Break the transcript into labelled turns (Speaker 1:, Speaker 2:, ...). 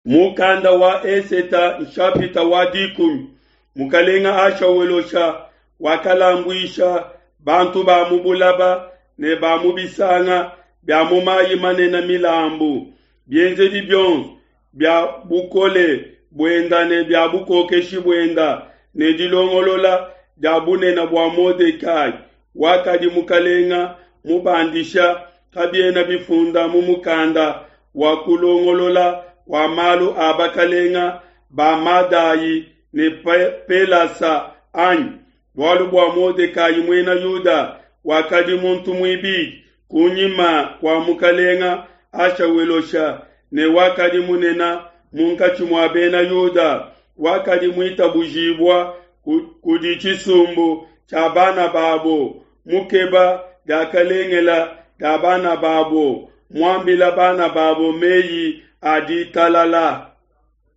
Speaker 1: Mukanda wa Eseta nshapita wa dikumi. Mukalenga Ashawelosha wakalambuisha bantu ba mu bulaba ne ba mu bisanga bia mu mayi manene milambu. Bienzedi bionso bia bukole buenda ne bia bukokeshi buenda ne dilongolola dia bunene bua Modekai wakadi mukalenga mubandisha kabiena bifunda mu mukanda wa kulongolola kua malu a bakalenga ba Madai ne Pelasa anyi? Bualu bua Modekai muena Yuda wakadi muntu muibidi kunyima kua mukalenga Ashawelosha ne wakadi munene munkatshi mua bena Yuda, wakadi muitabujibua kudi tshisumbu tshia bana babo, mukeba diakalengela dia bana babo, muambila bana babo meyi a ditalala.